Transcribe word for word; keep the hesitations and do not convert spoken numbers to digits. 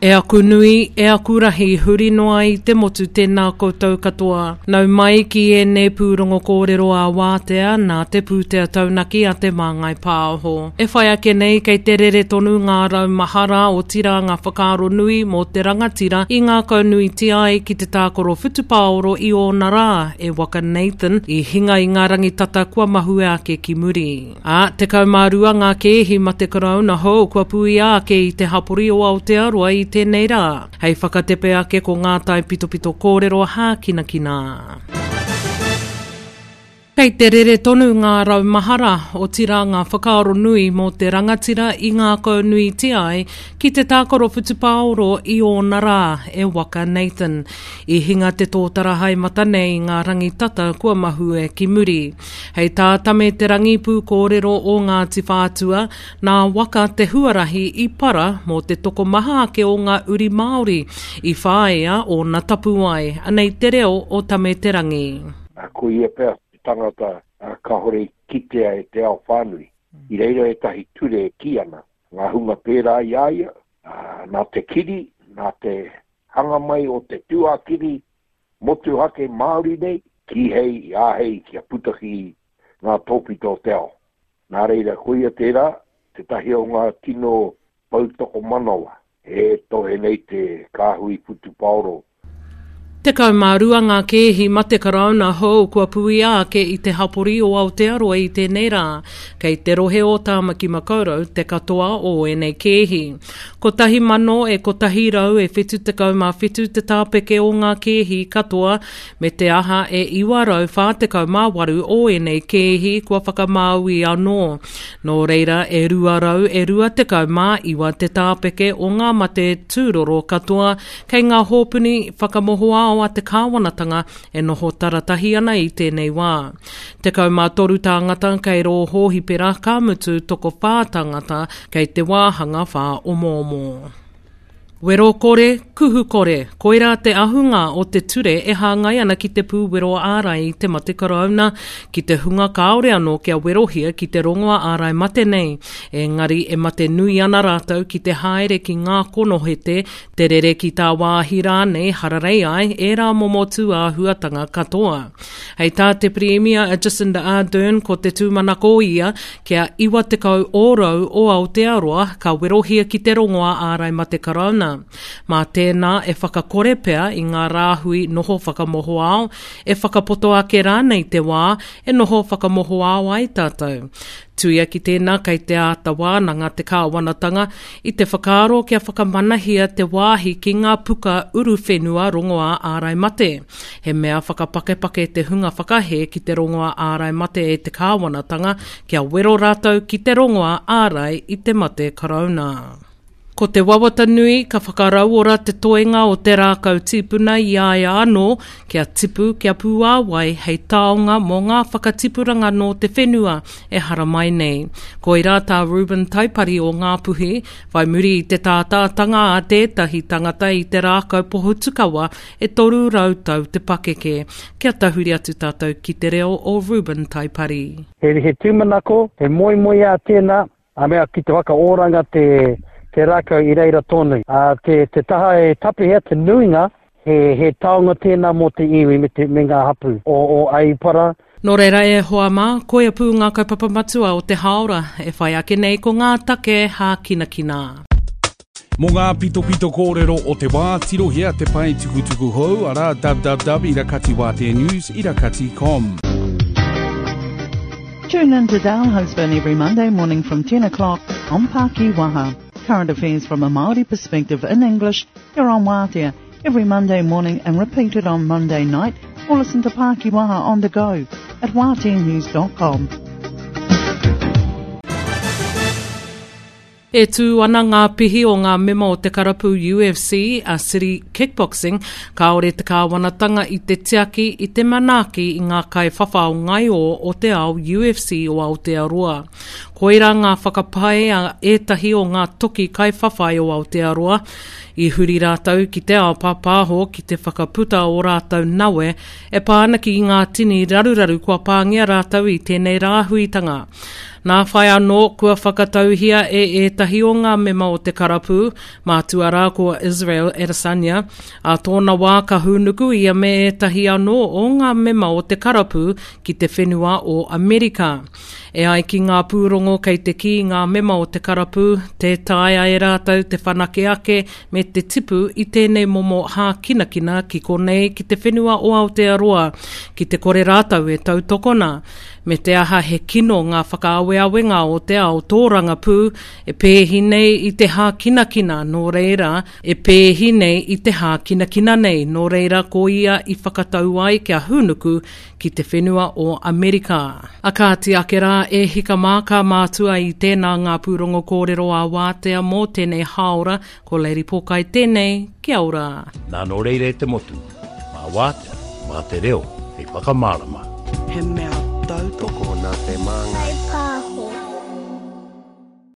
E aku nui, e aku rahi, huri noa i te motu tēnā koutou katoa. Nau mai ki ēnei pūrongo kōrero a wātea nā te pūtea taunaki a Te Māngai Pāho. E whai ake nei kei te rere tonu ngā rau mahara otirā ngā whakaaro nui mō te rangatira i ngākaunuitia ai ki te tākaro whutupaoro i ōna rā e Waka Nathan i hinga i ngā rangi tata kua mahue ake ki muri. Ā, tekau mā rua ngā kēhi mate karauna hou kua puia ake i te hapori o Aotearoa i tēnei rā. Hei whakatepe ake ko ngā taipitopito kōrero hākinakina. Kei te rere tonu ngā rau mahara, otirā ngā whakaaro nui mō te rangatira i ngākaunuitia ai ki te tākaro whutupaoro i ōna rā e Waka Nathan. I hinga te tōtara haemata nei i ngā rangi tata kua mahue ki muri. Hei tā Tame Te Rangi pūkōrero o Ngāti Whātua, nā Waka te huarahi i para mō te tokomaha ake o ngā uri Māori i whāia ōna tapuwae. Anei te reo o Tame Te Rangi. Ko ia pea te tangata kāore i kitea e te ao whānui. I reira ētahi ture e kī ana, ngā hunga pērā i a ia, nā te kiri, nā te hanga mai o te tūākiri motuhake Māori nei, kīhei i āhei kia puta ki ngā tōpito o te ao. Nā reira, koia tērā, tētahi o ngā tino poutokomanawa e tohe nei te kāhui whutupaoro. Tekau mā rua ngā kēhi mate karauna hou kua puia ake i te hapori o Aotearoa i tēnei rā. Kei te rohe o Tāmaki Makaurau te katoa o ēnei kēhi. Kotahi mano e kotahi rau e whitu tekau mā whitu te tāpeke o ngā kēhi katoa, me te aha e iwa rau whā tekau mā waru o ēnei kēhi kua whakamāui anō. Nō reira e rua rau e rua tekau mā iwa te tāpeke o ngā mate tūroro katoa kei ngā hōpuni whakamohoao a te kāwanatanga e noho taratahi ana i tēnei wā. Tekau mā toru tāngata kei rō hōhipera ka mutu tokowhā tāngata kei te wāhanga whāomoomo. Wero kore, kuhu kore, koirā te ahunga o te ture e hāngai ana ki te pūwero ārai i te mate karauna, ki te hunga kāore anō kia werohia ki te rongoa ārai mate nei. Engari e mate nui ana rātou ki te haere ki ngā konohete, te rere ki tāwāhi rānei hararei ai ērā momo tūāhuatanga katoa. Hei tā te Pirimia a Jacinda Ardern ko te tūmanako ia kia iwa tekau ōrau o Aotearoa ka werohia ki te rongoa ārai mate karauna. Mā tēnā e whakakore pea i ngā rāhui noho whakamohoao, e whakapoto ake rānei te wā e noho whakamohoao ai tātou. Tuia ki tēnā kei te āta wānanga te kāwanatanga i te whakaaro kia whakamanahia te wāhi ki ngā puka uruwhenua rongoā ārai mate. He mea whakapakepake te hunga whakahē ki te rongoā ārai mate e te kāwanatanga kia wero rātou ki te rongoā ārai i te mate karauna. Ko te wawata nui ka whakarauora te toenga o te rākau tīpuna i a ia anō kia tipu kia pūāwai hei taonga mō ngā whakatipuranga nō te whenua e haramai nei. Koirā tā Reuben Taipari o Ngāpuhi, whai muri i te tātātanga a tētahi tangata i te rākau pohutukawa e toru rau tau te pakeke. Kia tahuri atu tātou ki te reo o Reuben Taipari. He, he tūmanako, he moemoeā tēnā, a mea ki te whakaoranga te te rākau i reira tonu. Uh, te, te taha e tapihea, te nuinga, he, he taonga tēnā mō te iwi me, te, me ngā hapu o, o Aipara. Nō reira e hoa mā, koia pū ngā kaupapa matua o te hāora e whai ake nei ko ngā take hākinakina. Mō ngā pitopito kōrero o te wā, tirohia te pae tukutuku hou, arā www irakati wātea news irakati com. Tune in to Dale Husband every Monday morning from ten o'clock on Pākiwaha. Current affairs from a Māori perspective in English here on Wātea every Monday morning and repeated on Monday night, or listen to Pākiwaha on the go at wātea news dot com. E tū ana ngā pihi o ngā mema o te karapu U F C a City Kickboxing, kāore te kāwanatanga i te tiaki i te manaaki i ngā kaiwhawhao ngaio o te ao U F C o Aotearoa. Koirā ngā whakapae a ētahi o ngā toki kaiwhawhai o Aotearoa, i huri rātou ki te ao pāpāho ki te whakaputa o rātou nawe e pā ana ki ngā tini raruraru kua pāngia rātou i tēnei rāhuitanga. Nā whai anō, kua whakatauhia e ētahi o ngā mema o te karapu, mātua rā ko Israel Adesanya, ā tōna wā ka hūnuku ia me ētahi anō o ngā mema o te karapu ki te whenua o Amerika. E ai ki ngā pūrongo kei te kī ngā mema o te karapu, tē taea e rātou te whanake ake me te tipu i tēnei momo hākinakina ki konei ki te whenua o Aotearoa, ki te kore rātou e tautokona. Me te aha he kino ngā whakaaweawenga o te ao tōrangapū e pēhi nei i te hākinakina nō reira, e pēhi nei i te hākinakina nei, nō reira ko ia i whakatau ai kia hūnuku ki te whenua o Amerika. A kāti ake rā e hika mā ka mātua i tēnā ngā pūrongo kōrero a Wātea mō tēnei hāora, ko Lady Pōkai tēnei, kia ora. Nā nō reira e te motu, mā Wātea, mā te reo, hei whakamārama. He mea tautoko Tokona te māngai.